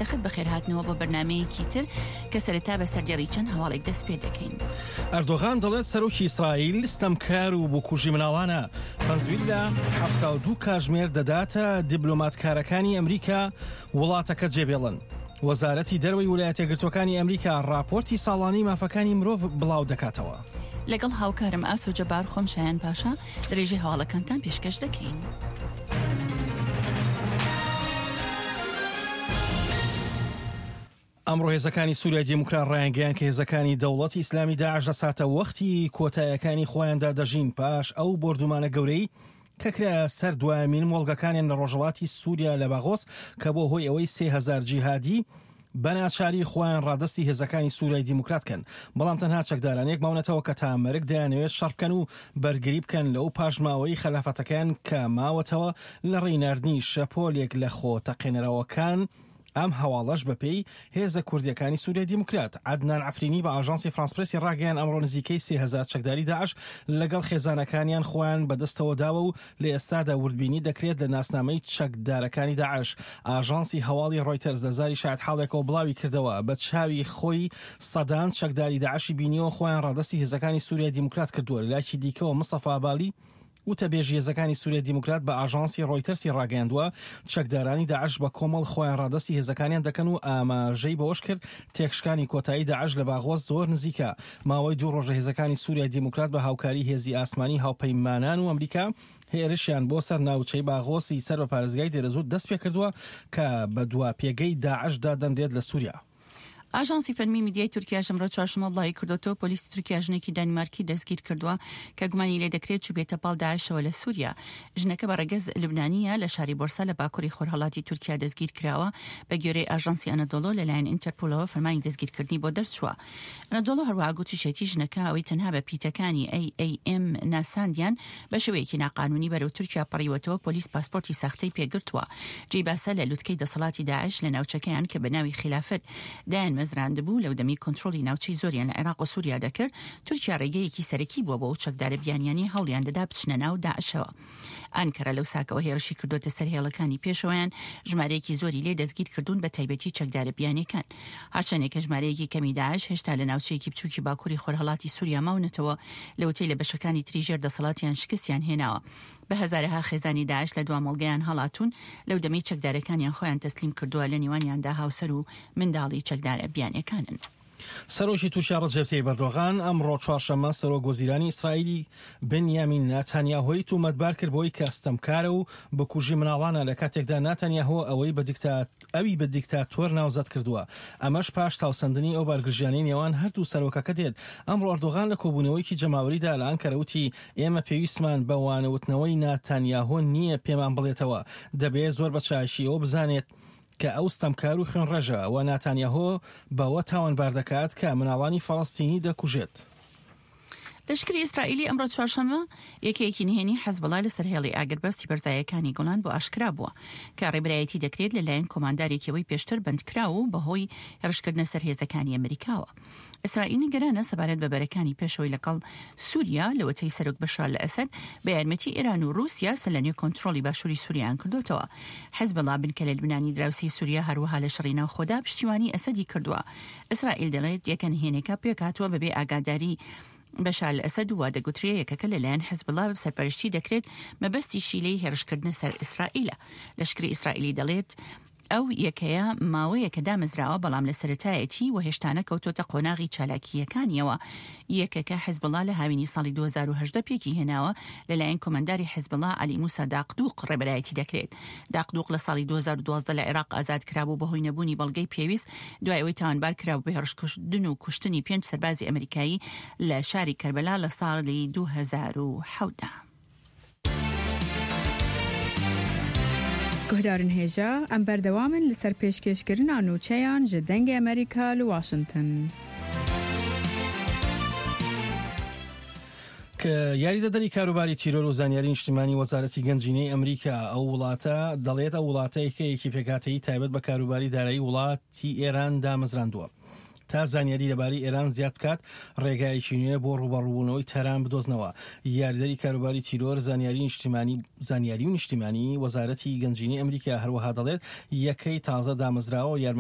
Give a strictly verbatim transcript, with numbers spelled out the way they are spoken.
پایتەخت، بەخێرهاتنەوە بۆ بەرنامەیەکی تر کە سەرەتا بە سەردێڕی چەند هەواڵێک دەست پێ دەکەین. ئەردۆغان دەڵێت سەرۆکی ئیسرائیل ستەمکار و بکوژی مناڵانە. فەنزویلا حەفتا و دوو کاژمێر دەداتە دیبلۆماتکارەکانی ئەمریکا وڵاتەکە جێبێڵن. وەزارەتی دەرەوەی ویلایەتە یەکگرتووەکانی ئەمریکا ڕاپۆرتی ساڵانەی مافەکانی مرۆڤ بڵاو دەکاتەوە. لەگەڵ هاوکارم ئاسۆ جەبار، خۆم شایان پاشا، درێژەی هەواڵەکانتان پێشکەش دەکەین. ئەمڕۆ هێزەکانی سووریای دیموکرات ڕایانگەیان کە هێزەکانی دەوڵەتی ئیسلامی داعش لە ساتە وەختی کۆتایەکانی خۆیاندا دەژین پاش ئەو بۆردومانە گەورەی کە کرایە سەر دوایەمین مۆڵگەکانیان لە ڕۆژهەڵاتی سووریا لە باغۆس کە بۆ هۆی ئەوەی سێ هەزار جیهادی بە ناچاری خۆیان ڕادەستی هێزەکانی سووریای دیموکرات کەن، بەڵام تەنها چەکدارانێک ماونەتەوە کە تا مەرگ دەیانەوێت شەڕ بکەن و بەرگری بکەن لەو پاشماوەی خەلافەتەکەیان کە ماوەتەوە لە ڕێی ناردنی شەپۆلێک لە خۆ تەقێنەرەوەکان. ئەم هەواڵەش بەپێی هێزە کوردیەکانی سووریای دیموکرات. عەدنان عەفرینی بە ئاژانسی فرانس پرێسی ڕاگەیان ئەمڕۆ نزیکەی سێ هەزار چەکداری داعش لەگەڵ خێزانەکانیان خۆیان بەدەستەوە داوە و لە ئێستادا وردبینی دەکرێت لە ناسنامەی چەکدارەکانی داعش. ئاژانسی هەواڵی ڕۆیتەرز لە زاری شایەتحاڵێکەوە بڵاوی کردەوە بە چاوی خۆی سەدان چەکداری داعشی بینیەوە خۆیان ڕادەستی هێزەکانی سووریای دیموکرات کردووە. لەلایەکی دیکەوە مستەفا بالی وتەبێژی هێزەکانی سووریای دیموکرات بە ئاژانسی ڕۆیتەرسی ڕاگەیاندووە چەکدارانی داعش بە کۆمەڵ خۆیان ڕادەستی هێزەکانیان دەکەن و ئاماژەی بەوەش کرد تێکشکانی کۆتایی داعش لە باغۆس زۆر نزیکە. ماوەی دوو ڕۆژە هێزەکانی سووریای دیموکرات بە هاوکاری هێزی ئاسمانی هاوپەیمانان و ئەمریکا هێرشیان بۆ سەر ناوچەی باغۆسی سەر بە پارێزگای دێرەزوور دەست پێکردووە کە بە دوا پێگەی داعش دادەنرێت لە سووریا. ئاژانسی فەرمی میدیای تورکیا ئەمڕۆ چوارشەممە بڵاوی کردووەتەوە پۆلیسی تورکیا ژنێکی دانیمارکی دەستگیر کردووە کە گومانی لێ دەکرێت چووبێتە پاڵ داعشەوە لە سووریا. ژنەکە بە ڕەگەز لوبنانییە، لە شاری بۆرسا لە باکووری خۆرهەڵاتی تورکیا دەستگیر کراوە. بە گوێرەی ئاژانسی ئەنەدۆڵۆ لەلایەن ئینتەرپۆلەوە فەرمانی دەستگیرکردنی بۆ دەرچووە. ئەنەدۆڵۆ هەروەها گوتیشێتی ژنەکە ئەوەی تەنها بە پیتەکانی ئەی ئەی ئێم ناساندیان بە شێوەیەکی ناقانونی بەرەو تورکیا پەڕیوەتەوە، پۆلیس پاسپۆرتی ساختەی پێگرتووە. جێی باسە لە لوتکەی دەسەڵاتی داعش لە ناوچەکەیان کە بە ناوی خیلافەت دایان مەزراندبوو، لەو دەمی کۆنترۆڵی ناوچەی زۆریان لە عێراق و سووریا دەکرد، تورکیا ڕێگەیەکی سەرەکی بووە بۆ ئەو چەکدارە بیانیانەی هەوڵیان دەدا بچنە ناو داعشەوە. ئانکەرە لەو ساکەوە هێرشی کردووەتە سەر هێڵەکانی پێشەوەیان، ژمارەیەکی زۆری لێ دەستگیر کردوون، بە تایبەتی چەکدارە بیانیەکان. هەرچەندێکە ژمارەیەکی کەمی داعش هێشتا لە ناوچەیەکی بچووکی باکووری خۆرهەڵاتی سووریا ماونەتەوە، لەوەتەی لە بەشەکانی تری ژێر دەسەڵاتیان شکستیان هێناوە. بە هەزارەها خێزانی داعش لە دوا مۆڵگەیان هەڵاتوون لەو دەمەی چەکدارەکانیان خۆیان تەسلیم کردووە، لە نێوانیاندا هاوسەر و منداڵی چەکدارە بیانیەکانن. سەرۆکی تورکیا ڕەجەب تەیب ئەردۆغان ئەمڕۆ چوارشەممە سەرۆک وەزیرانی ئیسرائیلی بنیامین ناتانیاهۆی تومەتبار کرد بۆی کە ستەمکارە و بکوژی مناڵانە، لە کاتێکدا ناتانیاهۆ ئەوەی بە ئەوی بە دیکتاتۆر ناوزەد کردووە. ئەمەش پاش تاوسەندنی ئەو بارگرژیانەی نێوان هەردوو سەرۆکەکە دێت. ئەمڕۆ ئەردۆغان لە کۆبوونەوەیەکی جەماوەریدا لە ئەنکەرە وتی ئێمە پێویستمان بە وانەوتنەوەی ناتانیاهۆ نییە پێمان بڵێتەوە، دەبێت زۆر بە چاکی ئەوە بزانێت کە ئەو ستەمکار و خوێنڕێژە و ناتانیاهۆ بەوە تاوانبار دەکات کە مناڵانی فەڵەستینی دەکوژێت. لەشکری ئیسرائیلی ئەمڕۆ چوارشەممە یەکەیەکی نهێنی حەزبوڵا لەسەر هێڵی ئاگربەستی بەرزایەکانی گۆڵان بۆ ئاشکرا بووە کە ڕێبەرایەتی دەکرێت لەلایەن کۆماندارێکیەوەی پێشتر بەندکراو و بەهۆی هێرشکردنە سەر هێزەکانی ئەمریکاوە. ئیسرائیل نیگەرانە سەبارەت بە بەرەکانی پێشەوەی لەگەڵ سووریا لەوەتەی سەرۆک بەشار ئەسەد بە یارمەتی ئێران و رووسیا سەرلەنوێ کۆنترۆڵی باشووری سووریان کردوتەوە. حزبوڵا بنکە لە لوبنانی دراوسێی سووریا هەروەها لە شەڕی ناوخۆدا پشتیوانی ئەسەدی کردووە. ئیسرائیل دەڵێت یەکە نهێنێکە پێکهاتووە بەبێ ئاگاداری بەشار ئەسەد و دەگوترێ یەکەکە لەلایەن حزبوڵا سەرپەرشتی دەکرێت، مەبەستیشی لێی هێرشکردنە سەر ئیسرائیلە. لەشکری ئیسرائیلی دەڵێت ئەو یەکەیە ماوەیەکە دامەزراوە، بەڵام لە سەرەتایەتی و هێشتا نەکەوتۆتە قۆناغی چالاکییەکانیەوە. یەکەکە حزبوڵا لە هاوینی ساڵی دوو هەزار و هەژدە پێکی هێناوە، لەلایەن کۆمانداری حزبوڵا عەلی موسا داقدوق ڕێبەرایەتی دەکرێت. داقدوق لە ساڵی دوو هەزار و دوازدە لە عێراق ئازاد کرابوو بەهۆی نەبوونی بەڵگەی پێویست دوای ئەوەی تاوانبار کرابوو بە هێرشکردن و کوشتنی پێنج سەربازی ئەمریکایی لە شاری کەربەلا لە ساڵی دوو هەزار و حەوت. گوهدارن هێژا ئەم بەردەوامن لەسەر پێشکێشکردنا نوچەیان ji دەنگê ئەمریکا li واشنگتن. کە یاریدەدەری کاروباری تیرۆر و زانیاری نیشتیمانی وەزارەتی گەنجینەی ئەمریکا ئەو وڵاتە دەڵێت ئەو وڵاتەیەکەیەکی پێکهاتەیی تایبەت بە کاروباری دارایی وڵاتی ئێران دامەزراندووە تا زانیاری لەبارەی ئێران زیاد بکات، ڕێگایەکی نوێ بۆ ڕووبەڕووبوونەوەی تاران بدۆزنەوە. یاریدەری کاروباری تیرۆر زانیاری نیشتیمانی زانیاری و نیشتیمانی وەزارەتی گەنجینەی ئەمریکا هەروەها دەڵێت یەکەی تازە دامەزراوە یارمەتی